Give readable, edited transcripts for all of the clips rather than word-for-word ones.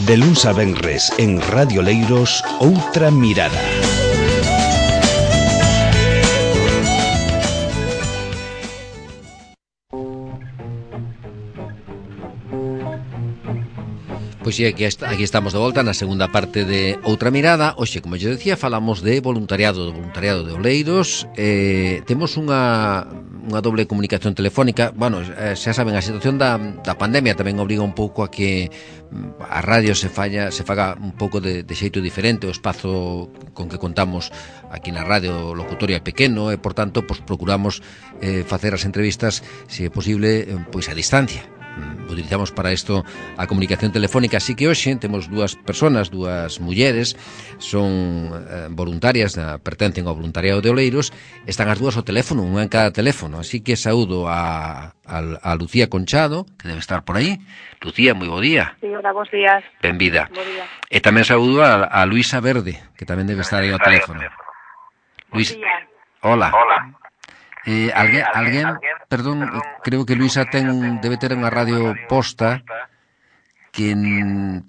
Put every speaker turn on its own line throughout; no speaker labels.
De luns a venres en Radio Leiros, Outra Mirada.
Pois aquí estamos de volta na segunda parte de Outra Mirada. Hoxe, como eu decía, falamos de voluntariado de Oleiros. Temos unha doble comunicación telefónica. Bueno, xa saben, a situación da pandemia tamén obriga un pouco a que a radio se faga un pouco de xeito diferente. O espazo con que contamos aquí na radio locutoria é pequeno e, por tanto, pois procuramos facer as entrevistas, se é posible, pois a distancia. Utilizamos para isto a comunicación telefónica, así que hoxe temos dúas persoas, dúas mulleres, son voluntarias, pertencen ao voluntariado de Oleiros, están as dúas ao teléfono, unha en cada teléfono, así que saúdo a Lucía Conchado, que debe estar por aí. Lucía, moi bo día.
Sí, hola, bons días.
Benvida. E tamén saúdo a Luisa Verde, que tamén debe estar aí ao teléfono. Luis, hola. Alguén, perdón, creo que Luisa debe ter unha radio posta que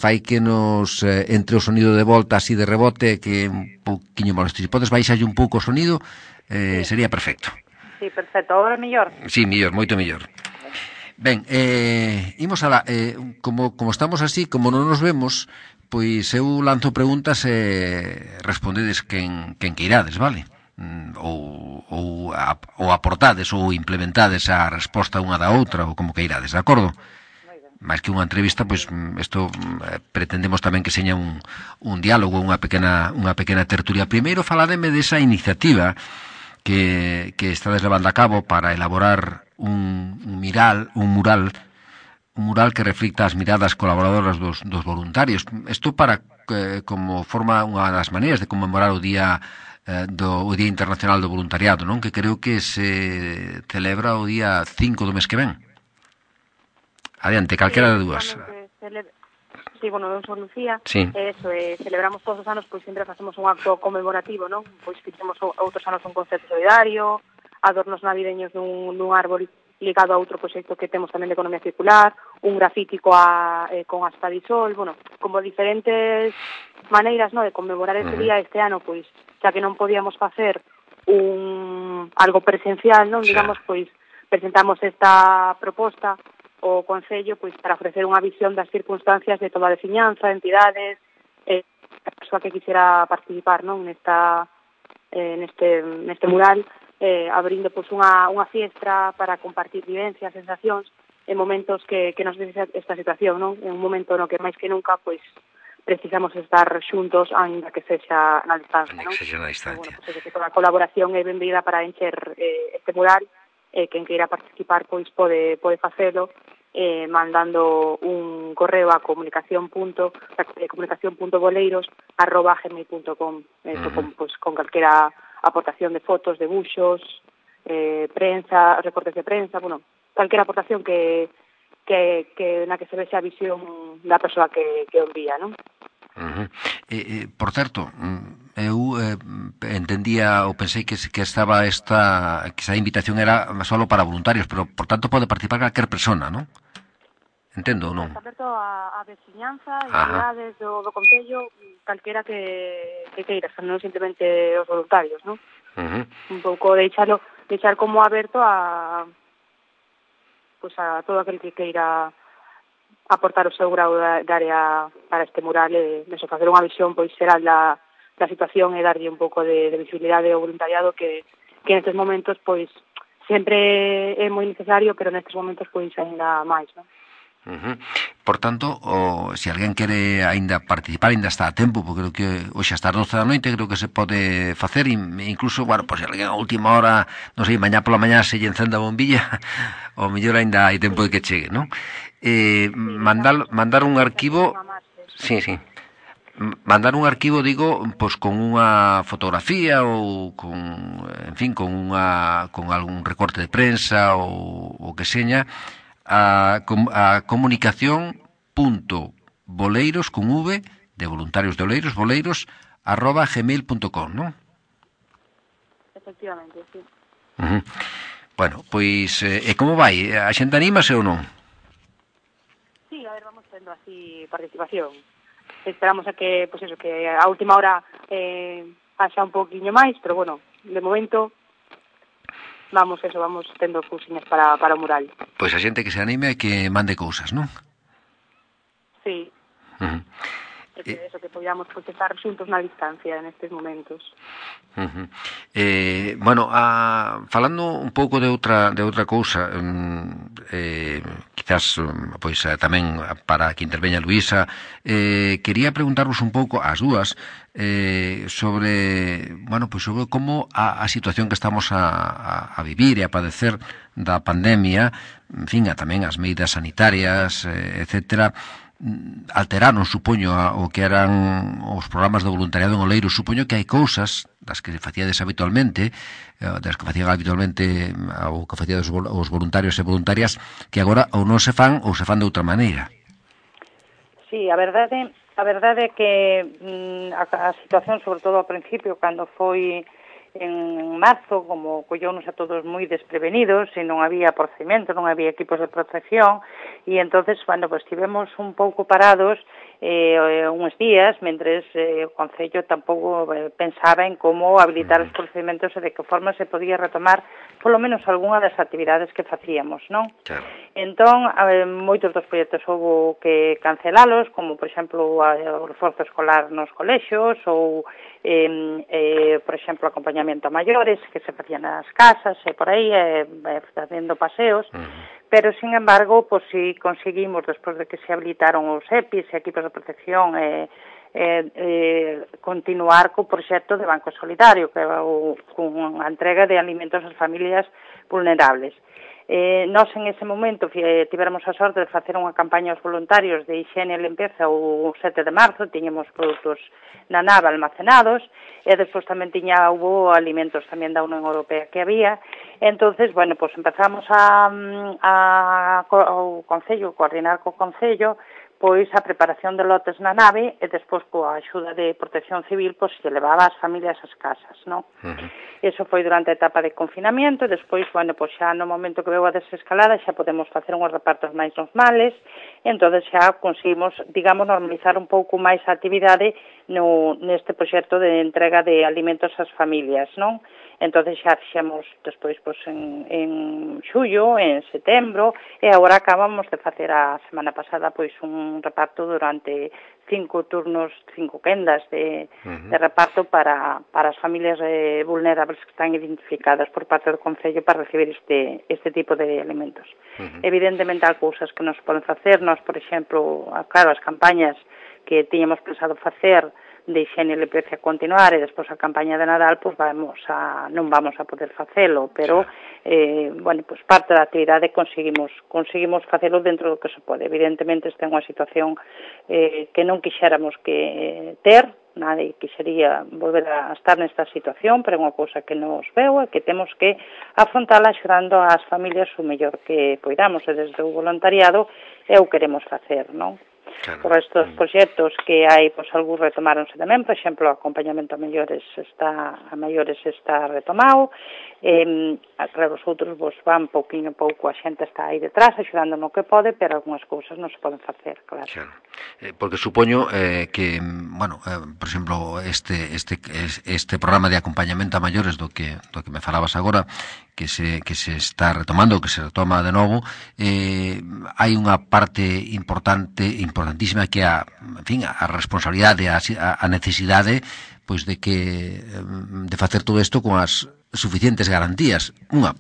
fai que nos entre o sonido de volta así de rebote, que é un pouquiño molesto. Se podes baixarlle un pouco o sonido, sería perfecto.
Sí, perfecto. Agora é mellor?
Sí, mellor, moito mellor. Ben, imos alá. Como estamos así, como non nos vemos, pois eu lanzo preguntas e respondedes quen queirades, vale? Ou aportades ou implementades a resposta unha da outra, ou como queirades, de acordo? máis que unha entrevista, pois isto pretendemos tamén que seña un diálogo, unha pequena tertulia. Primeiro falademe desa iniciativa que estades levando a cabo para elaborar un mural que reflicta as miradas colaboradoras dos voluntarios. Isto para como forma unha das maneiras de conmemorar o Día Internacional do Voluntariado, non? Que creo que se celebra o día 5 do mes que ven. Adiante, calquera de dúas.
Sí, bueno, eu son Lucía.
Sí.
Celebramos todos os anos, pois sempre facemos un acto conmemorativo, non? Pois fixemos outros anos un concerto solidario, adornos navideños dun árbol ligado a outro proxecto que temos tamén de economía circular, un grafiti con aspa de sol, bueno, como diferentes maneiras, no, de conmemorar ese día. Este ano, pois, xa que non podíamos facer algo presencial, non, digamos, pois presentamos esta proposta o Concello pois para ofrecer unha visión das circunstancias de toda a veciñanza, entidades, a persoa que quixera participar, non, neste mural, abrindo pois unha fiestra para compartir vivencias, sensacións en momentos que nos dice esta situación, non? En un momento no que máis que nunca pois precisamos estar xuntos, aínda que sexa na distancia, non? Bueno, pois que toda a colaboración é benvida para encher este mural. Quen queira participar pois pode facelo mandando un correo a comunicación.boleiros@gmail.com con calquera aportación de fotos, debuxos, prensa, recortes de prensa, bueno, calquera aportación que na que se vexa a visión da persoa que o envía, non?
Por certo, eu entendía ou pensei que estaba que esa invitación era só para voluntarios, pero por tanto pode participar calquer persona, non? Entendo ou non?
Está aberto a veciñanza, entidades do Concello, calquera que queira, non simplemente os voluntarios, non? Un pouco deixar como aberto a todo aquel que queira aportar o seu grau de área para este mural e facer unha visión pois xeral da situación e darlle un pouco de visibilidade ao voluntariado que nestes momentos pois sempre é moi necesario, pero nestes momentos pois ainda máis, non?
Por tanto, se alguén quere ainda participar, ainda está a tempo, porque creo que hoxe hasta as 12 da noite creo que se pode facer, incluso, bueno, pois se alguén a última hora, non sei, mañá pola mañá se lle encenda a bombilla, o mellor ainda hai tempo de que chegue, non? Mandar un arquivo, sí, mandar un arquivo, digo, pois con unha fotografía ou con algún recorte de prensa ou que seña a comunicación.boleiros con V de voluntarios de Oleiros, boleiros@gmail.com, non?
Efectivamente, sí.
Bueno, pois, e como vai? A xente anímase ou non?
Sí, a ver, vamos tendo así participación. esperamos a que, pois eso, que a última hora haxa un poquinho máis, pero bueno, de momento vamos tendo cousiñas para o mural.
Pois a xente que se anime e que mande cousas, non?
Sí. E que eso, que podíamos estar xuntos na distancia nestes momentos.
Bueno, falando un pouco de outra cousa, quizás pois tamén para que interveña Luísa, quería preguntarvos un pouco ás dúas sobre, bueno, pois sobre como a situación que estamos a vivir e a padecer da pandemia, en fin, tamén as medidas sanitarias, etcétera, alteraron, supoño, o que eran os programas de voluntariado en Oleiros. Supoño que hai cousas das que facíades habitualmente, das que facían habitualmente ou que facían os voluntarios e voluntarias, que agora ou non se fan ou se fan de outra maneira.
Sí, a verdade é que a situación, sobre todo ao principio, cando foi en marzo, como colleunos a todos moi desprevenidos e non había procedimentos, non había equipos de protección, e entonces, bueno, pues estivemos un pouco parados uns días, mentres o Concello tampouco pensaba en como habilitar os procedimentos e de que forma se podía retomar polo menos algunha das actividades que facíamos, non?
Claro.
Entón, moitos dos proxectos houve que cancelalos, como, por exemplo, o reforzo escolar nos colexios ou, por exemplo, acompañamento a maiores que se facían nas casas e por aí, facendo paseos, pero, sin embargo, pues, si conseguimos, despois de que se habilitaron os EPIs e equipos de protección, continuar co proxecto de Banco Solidario, que é con a entrega de alimentos ás familias vulnerables. Nós en ese momento tivéramos a sorte de facer unha campaña aos voluntarios de higiene e limpeza o 7 de marzo, tiñemos produtos na nave almacenados e despois tamén hubo alimentos tamén da Unión Europea que había. Entonces, bueno, pues empezamos ao Concello, coordinar co Concello, pois a preparación de lotes na nave e despois coa axuda de Protección Civil pois se levaba as familias ás casas, non? Eso foi durante a etapa de confinamento e despois, bueno, pois xa no momento que veu a desescalada xa podemos facer unhos repartos máis normales e entón xa conseguimos, digamos, normalizar un pouco máis a actividade neste proxecto de entrega de alimentos ás familias, non? Entón xa fixemos despois pois, en xullo, en setembro, e agora acabamos de facer a semana pasada pois un reparto durante 5 turnos, 5 quendas de reparto para as familias vulnerables que están identificadas por parte do Concello para recibir este tipo de alimentos. Evidentemente, há cousas que nos poden facer, nós, por exemplo, claro, as campañas que tiñamos pensado facer de higiene e limpeza continuar e despois a campaña de Nadal, pois non vamos a poder facelo, pero bueno, pois parte da actividade conseguimos facelo dentro do que se pode. Evidentemente, esta é unha situación que non quixéramos que ter, nadie quixería volver a estar nesta situación, pero é unha cousa que nos veu e que temos que afrontala axudando ás familias o mellor que poidamos, e desde o voluntariado o queremos facer, non? Claro. Por estes proxectos que hai, pois algúns retomáronse tamén, por exemplo, o acompañamento a maiores está retomado, claro, os outros vos van pouquinho a pouco, a xente está aí detrás, axudando no que pode, pero algunhas cousas non se poden facer, claro.
Claro. Porque supoño que, bueno, por exemplo, este programa de acompañamento a maiores do que me falabas agora, que se está retomando, que se retoma de novo, hai unha parte importantísima que a responsabilidade, a necesidade pois de facer todo isto con as suficientes garantías, unha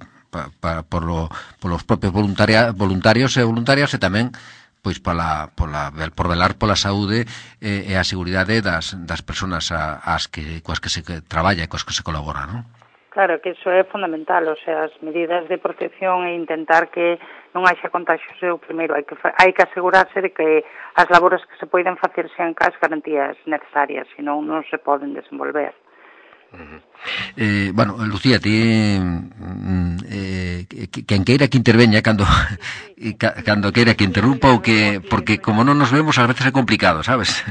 polos propios voluntarios e voluntarias e tamén pois por velar pola saúde e a seguridade das persoas coas que se traballa e coas que se colabora, non?
Claro, que iso é fundamental, o sea, as medidas de protección e intentar que non haxa contagios é o primeiro, hai que asegurarse de que as labores que se poden facer sean as garantías necesarias, senón non se poden desenvolver.
Bueno, Lucía, ti quen queira que interveña cando queira que interrumpa ou que, porque como non nos vemos ás veces é complicado, sabes?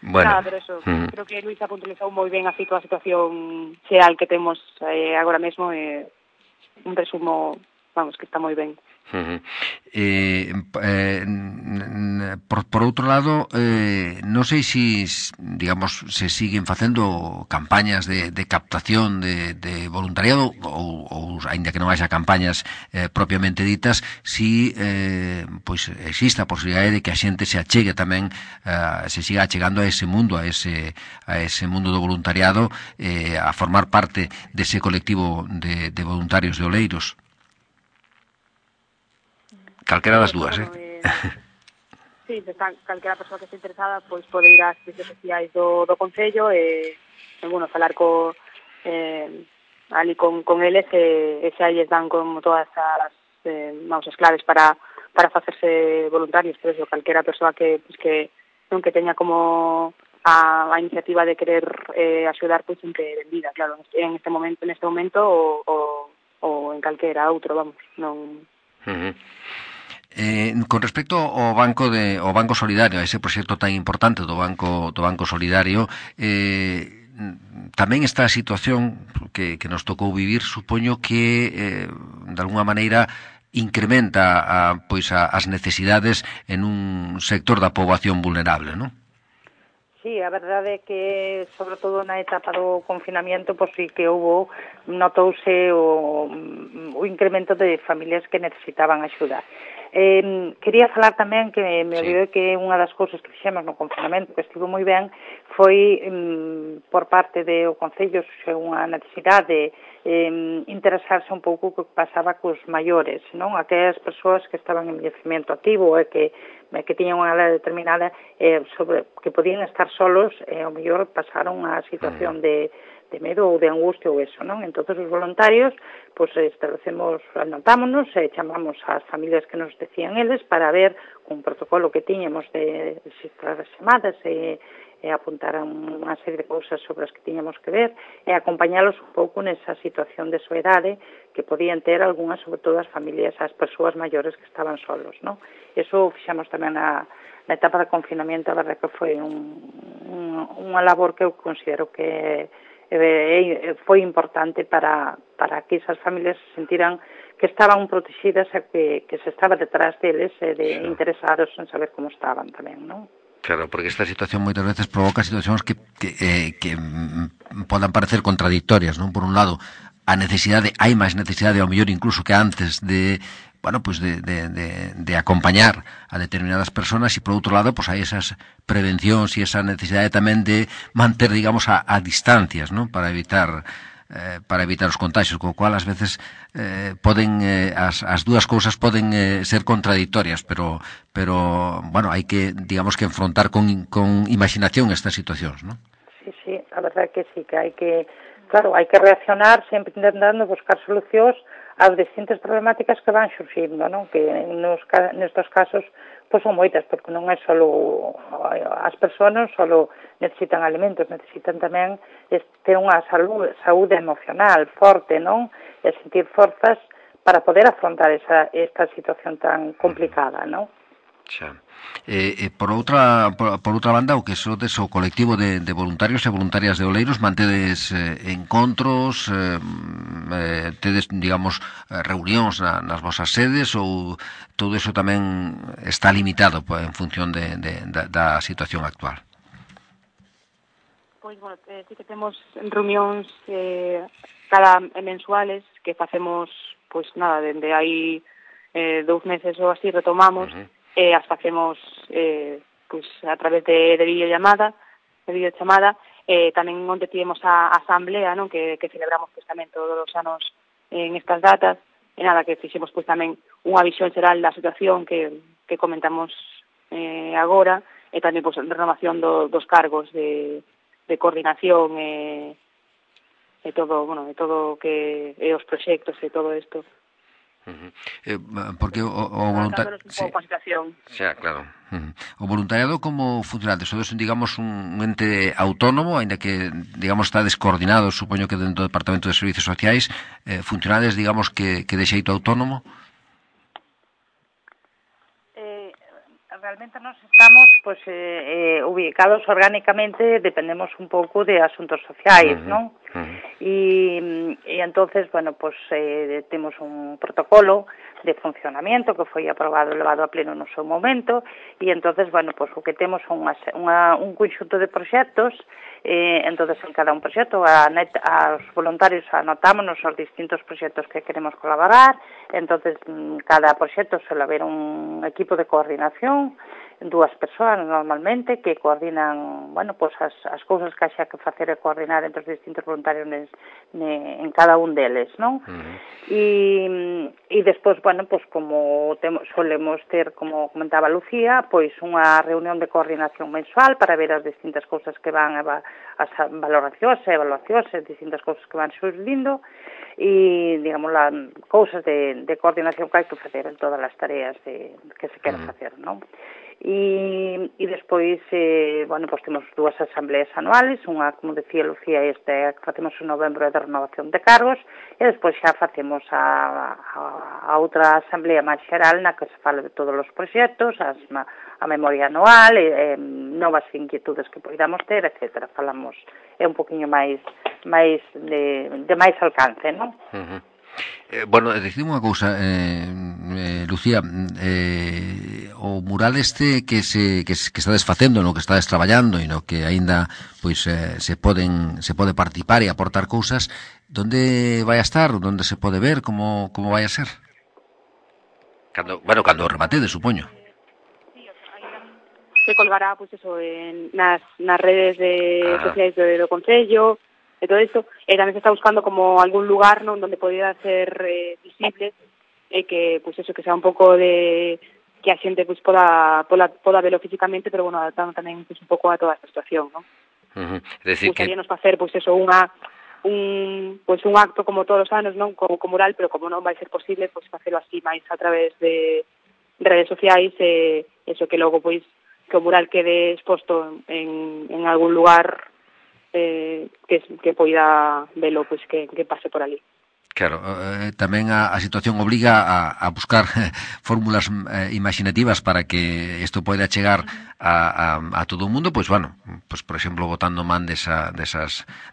Bueno. Nada, pero eso, creo que Luísa puntualizou moi ben a situación xeral que temos agora mesmo, un resumo, vamos, que está moi ben.
Por outro lado, non sei se, digamos, se siguen facendo campañas de captación de voluntariado ou aínda que non haxa campañas propiamente ditas, si pois existe a posibilidade de que a xente se achegue tamén, se siga achegando a ese mundo, a ese mundo do voluntariado, a formar parte dese colectivo de voluntarios de Oleiros. Calquera das dúas,
Sí, calquera persoa que este interesada pois pode ir ás redes sociais do Concello e bueno, falar ali con eles e xa lles dan como todas as as claves para facerse voluntarios, pero eso, calquera persoa que non que teña como a iniciativa de querer axudar, pois sempre benvida, claro, en este momento ou en calquera outro, vamos, non.
Con respecto ao Banco Solidario, a ese proxecto tan importante do Banco Solidario, tamén esta situación que nos tocou vivir, supoño que de alguna maneira incrementa as necesidades en un sector da poboación vulnerable, non?
Sí, a verdade é que, sobre todo na etapa do confinamiento, pois sí que notouse o incremento de familias que necesitaban axuda. Quería falar tamén que me olvidei que unha das cousas que fixemos no confinamento que estivo moi ben foi por parte do Concello unha necesidade interesarse un pouco o que pasaba cos maiores, non? Aquelas persoas que estaban en envellecemento activo e que tiñan unha edad determinada sobre que podían estar solos e ao mellor pasaron a situación de medo ou de angustia ou eso, non? Entón, os voluntarios, pois, anotámonos e chamamos ás familias que nos decían eles para ver con protocolo que tiñamos de registrar as chamadas e apuntar a unha serie de cousas sobre as que tiñamos que ver e acompañalos un pouco nesa situación de soedade que podían ter algunhas, sobre todo as familias, as persoas maiores que estaban solos, non? Eso fixamos tamén na etapa de confinamento, a verdade que foi unha labor que eu considero que foi importante para que esas familias se sentiran que estaban protegidas e que se estaba detrás deles interesados en saber como estaban tamén, non?
Claro, porque esta situación moitas veces provoca situacións que podan parecer contradictorias, non? Por un lado, a necesidade, hai máis necesidade ao mellor incluso que antes de acompañar a determinadas personas e por outro lado, pues hai esas prevencións e esa necesidade tamén de manter, digamos, a distancias, non? Para evitar os contagios, co cual ás veces as dúas cousas poden ser contradictorias, pero bueno, hai que, digamos, que enfrontar con imaginación estas situacións, non?
Sí, a verdade que sí, que hai que reaccionar sempre intentando buscar solucións ás distintas problemáticas que van surxindo, non? Que nestos casos pois son moitas, porque non é só as persoas só necesitan alimentos, necesitan tamén ter unha saúde emocional forte, non? E sentir forzas para poder afrontar esta situación tan complicada, non?
Xa. Por outra banda, o que sodes o colectivo de voluntarios e voluntarias de Oleiros, mantedes encontros, tedes, digamos, reunións nas vosas sedes ou todo eso tamén está limitado en función da situación actual?
Pois, bueno, sí que temos reunións cada mensuales que facemos, pois nada, dende hai 2 meses ou así retomamos, as facemos pois a través de videochamada, tamén onde tivemos a asamblea, non, que celebramos pois tamén todos os anos en estas datas, e nada, que fixemos pois tamén unha visión xeral da situación que comentamos agora, e tamén pois renovación dos cargos de coordinación e todo, bueno, e todo que os proxectos e todo isto.
Porque o voluntariado, claro. O voluntariado como funcionante, sodes, digamos, un ente autónomo, aínda que, digamos, está descoordinado, supoño que dentro do Departamento de Servicios Sociais, funcionades, digamos, que de xeito autónomo?
Realmente nos estamos ubicados orgánicamente, dependemos un pouco de asuntos sociais, non? E entonces, bueno, pues temos un protocolo de funcionamento que foi aprobado e levado a pleno no seu momento, e entonces, bueno, pues o que temos son un conxunto de proxectos. Entonces en cada un proxecto aos voluntarios anotámonos os distintos proxectos que queremos colaborar. Entonces cada proxecto suele haber un equipo de coordinación, 2 persoas normalmente que coordinan, bueno, pues as cousas que haxa que facer e coordinar entre os distintos voluntarios en cada un deles, non? E despois, bueno, pues como solemos ter, como comentaba Lucía, pois unha reunión de coordinación mensual para ver as distintas cousas que van as valoracións e evaluacións, as distintas cousas que van surdindo e, digamos, cousas de coordinación que hai que facer en todas as tareas que se queren facer, non? E despois, bueno, pues temos 2 asambleas anuales, unha, como decía Lucía, que facemos en novembro de renovación de cargos, e despois xa facemos a outra asamblea máis xeral na que se fala de todos os proxectos, a memoria anual, novas inquietudes que poidamos ter, etc. Falamos, é un poquinho máis de máis alcance, non?
Bueno, dicime unha cousa, Lucía, o mural este que estades facendo, no que estades traballando e no que aínda pois se pode participar e aportar cousas, onde vai a estar, onde se pode ver, como vai a ser? Cando rematedes, supoño.
Se colgará, pois eso, nas redes sociais do Concello, e todo isto, e tamén se está buscando como algún lugar non donde podía ser visible, e que, pois eso, que sea un pouco de que a xente pois poda velo físicamente, pero bueno, adaptando tamén pois un pouco a toda esta situación, non? Gustaríanos facer, pois eso, un acto como todos os anos, non, como mural, pero como non vai ser posible, pois facelo así máis a través de redes sociais, eso que logo pois que o mural quede exposto en algún lugar que poida velo, pois que pase por ali.
Claro, tamén a situación obliga a buscar fórmulas imaginativas para que isto poida chegar a todo o mundo, pois bueno, pois por exemplo, botando man das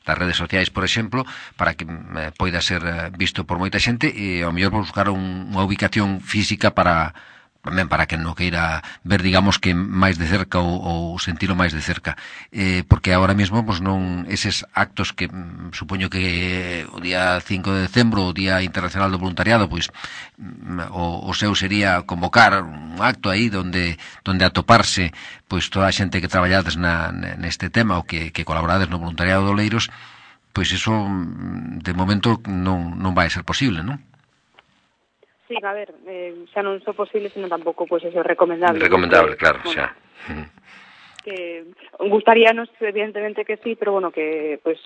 redes sociais, por exemplo, para que poida ser visto por moita xente e ao mellor buscar unha ubicación física para que non queira ver, digamos, que máis de cerca ou sentilo máis de cerca, porque agora mesmo pois non, eses actos que supoño que o día 5 de decembro, o Día Internacional do Voluntariado, pois o seu sería convocar un acto aí onde atoparse pois toda a xente que traballades neste tema ou que colaborades no voluntariado do Oleiros, pois eso de momento non vai ser posible, non?
Sí, a ver, xa non só posible, senón tampouco, pois, eso é recomendable.
Recomendable, claro, xa.
Que gustaríanos, evidentemente que sí, pero bueno, que, pois,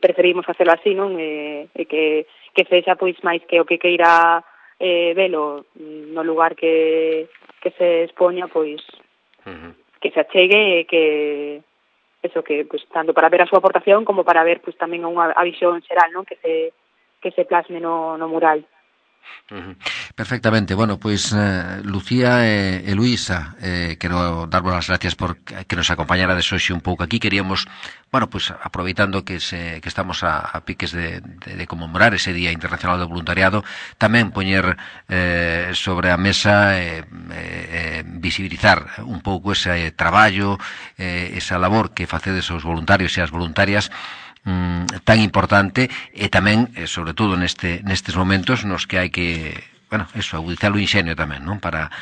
preferimos facelo así, non? E que sexa, pois, máis que o que queira velo no lugar que se expoña, pois, que se achegue e que, eso, que, pois, tanto para ver a súa aportación como para ver, pois, tamén a visión xeral, non? Que se plasme no mural.
Perfectamente. Bueno, pois Lucía e Luisa, quero darvos as gracias por que nos acompañarades hoxe un pouco aquí. Queríamos, bueno, pois aproveitando que estamos a piques de conmemorar ese Día Internacional do Voluntariado, tamén poñer sobre a mesa visibilizar un pouco ese traballo, esa labor que facedes os voluntarios e as voluntarias tan importante, e tamén, sobre todo nestes momentos nos que hai que, bueno, eso, agudizar o inxenio tamén, non? Para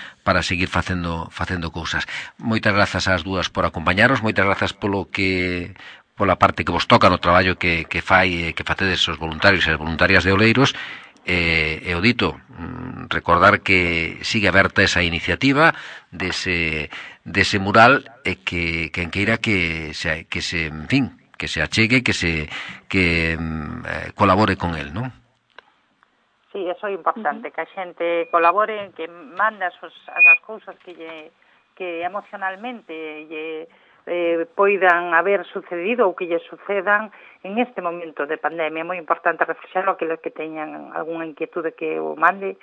seguir facendo cousas. Moitas grazas ás dúas por acompañaros, moitas grazas pola parte que vos toca no traballo que facedes os voluntarios e as voluntarias de Oleiros. E o dito, recordar que sigue aberta esa iniciativa dese mural, e que quen queira que se, en fin, que se achegue, que colabore con el, non?
Sí, eso é importante, que a xente colabore, que mande as cousas que emocionalmente poidan haber sucedido ou que lle sucedan en este momento de pandemia. É moi importante reflexar aqueles que teñan algunha inquietude que o mande,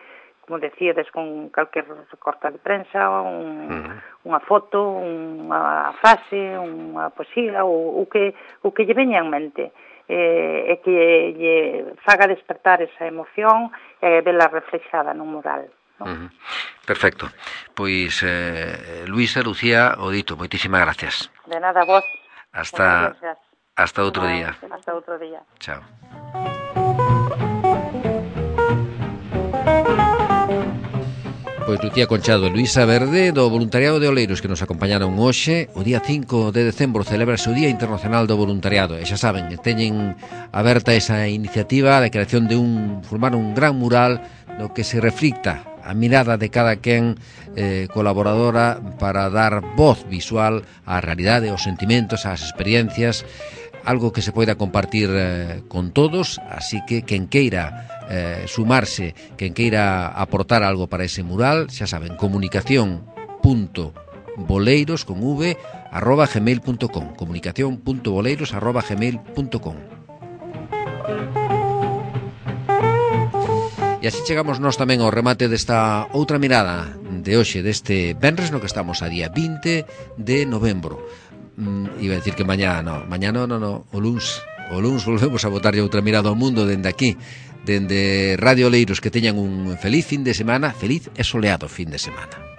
como decíades, con calquer recorte de prensa, unha foto, unha frase, unha poesía, o que lle veña en mente. e que lle faga despertar esa emoción e vela reflexada nun mural.
Perfecto. Pois, Luisa, Lucía, o dito, moitísimas gracias.
De nada, vos.
Hasta outro día.
Hasta outro día.
Chao. Pois Lucía Conchado e Luisa Verde do Voluntariado de Oleiros que nos acompañaron hoxe. O día 5 de decembro celebrase o Día Internacional do Voluntariado e xa saben, teñen aberta esa iniciativa de creación de formar un gran mural no que se reflicta a mirada de cada quen colaboradora para dar voz visual á realidade, aos sentimentos, ás experiencias, algo que se poida compartir con todos, así que quen queira sumarse, quen queira aportar algo para ese mural, xa saben, comunicación.boleiros con v @gmail.com comunicación.boleiros@gmail.com. E así chegamos nós tamén ao remate desta outra mirada de hoxe, deste venres no que estamos a día 20 de novembro. Iba a decir que mañá no, o luns volvemos a botarlle outra mirada ao mundo dende aquí, dende Radio Oleiros. Que teñan un feliz fin de semana, feliz e soleado fin de semana.